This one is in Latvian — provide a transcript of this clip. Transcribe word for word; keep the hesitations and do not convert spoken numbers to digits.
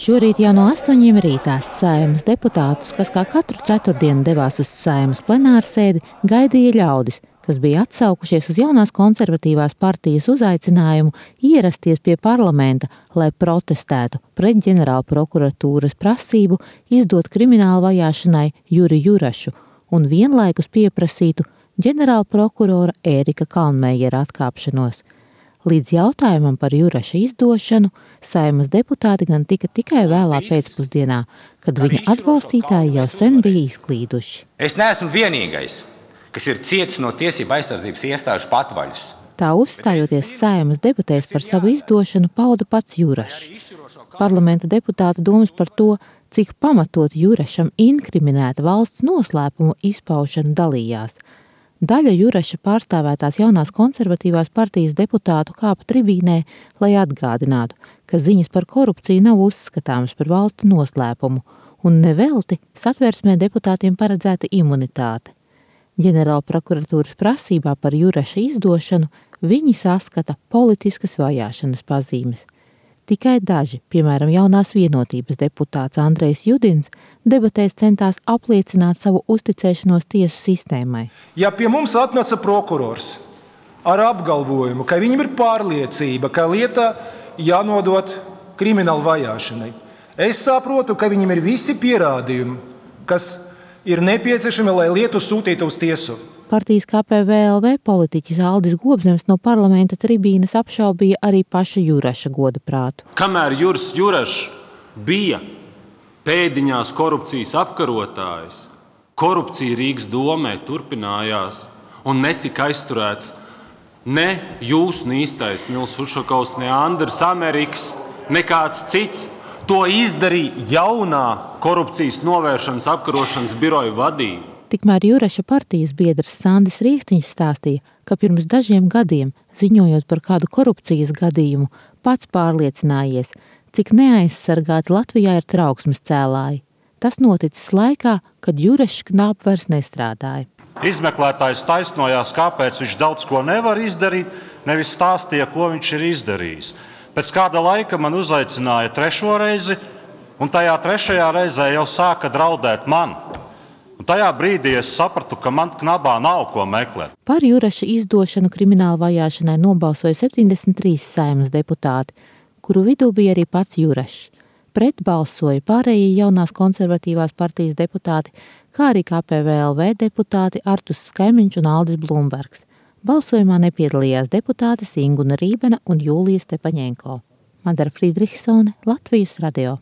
Šorīt jau no astoņiem rītā Saeimas deputātus, kas kā katru ceturtdienu devās uz Saeimas plenārsēdi, gaidīja ļaudis, kas bija atsaukušies uz jaunās konservatīvās partijas uzaicinājumu ierasties pie parlamenta, lai protestētu pret ģenerālprokuratūras prasību izdot kriminālu vajāšanai Juri Jurašu un vienlaikus pieprasītu ģenerālprokurora Ērika Kalnmeiera atkāpšanos. Līdz jautājumam par Juraša izdošanu Saeimas deputāti gan tika tikai vēlā pēcpusdienā, kad viņa atbalstītāji jau sen bija izklīduši. Es neesmu vienīgais, kas ir cietis no tiesību aizsardzības iestāžu patvaļas. Tā uzstājoties Saeimas debatēs par savu izdošanu, pauda pats Jurašs. Parlamenta deputātu domas par to, cik pamatot Jurašam inkriminēta valsts noslēpumu izpaušana dalījās. Daļa Juraša pārstāvētās jaunās konservatīvās partijas deputātu kāpa tribīnē, lai atgādinātu, ka ziņas par korupciju nav uzskatāmas par valsts noslēpumu, un nevelti Satversmē deputātiem paredzēta imunitāte. Ģenerālprokuratūras prasībā par Juraša izdošanu viņi saskata politiskas vajāšanas pazīmes. Tikai daži, piemēram, jaunās vienotības deputāts Andrejs Judins, debatēs centās apliecināt savu uzticēšanos tiesu sistēmai. Ja pie mums atnāca prokurors ar apgalvojumu, ka viņam ir pārliecība, ka lieta jānodot kriminālu vajāšanai, es saprotu, ka viņam ir visi pierādījumi, kas ir nepieciešami, lai lietu sūtītu uz tiesu. Partijas K P V L V politiķis Aldis Gobzems no parlamenta tribīnes apšaubīja arī paša Juraša godaprātu. Kamēr Juris Jurašs bija pēdiņās korupcijas apkarotājs, korupcija Rīgas domē turpinājās un netika aizturēts ne jūs īstais Nils Ušakovs, ne Andris Amerikas, nekāds cits. To izdarīja jaunā korupcijas novēršanas apkarošanas biroja vadība. Tikmēr Juraša partijas biedrs Sandis Riekstiņš stāstīja, ka pirms dažiem gadiem, ziņojot par kādu korupcijas gadījumu, pats pārliecinājies, cik neaizsargāti Latvijā ir trauksmes cēlāji. Tas noticis laikā, kad Jurašs knāp vairs nestrādāja. Izmeklētājs taisnojās, kāpēc viņš daudz ko nevar izdarīt, nevis stāstīja, ko viņš ir izdarījis. Pēc kāda laika man uzaicināja trešo reizi, un tajā trešajā reizē jau sāka draudēt man. Un tajā brīdī es sapratu, ka man knabā nav ko meklēt. Par Juraša izdošanu kriminālu vajāšanai nobalsoja septiņdesmit trīs Saeimas deputāti, kuru vidū bija arī pats Jurašs. Pret balsoja pārējie jaunās konservatīvās partijas deputāti, kā arī K P V L V deputāti Artus Skaimiņš un Aldis Blumbergs. Balsojumā nepiedalījās deputātes Inguna Rībena un Jūlija Stepaņenko. Madara Friedrichsone, Latvijas radio.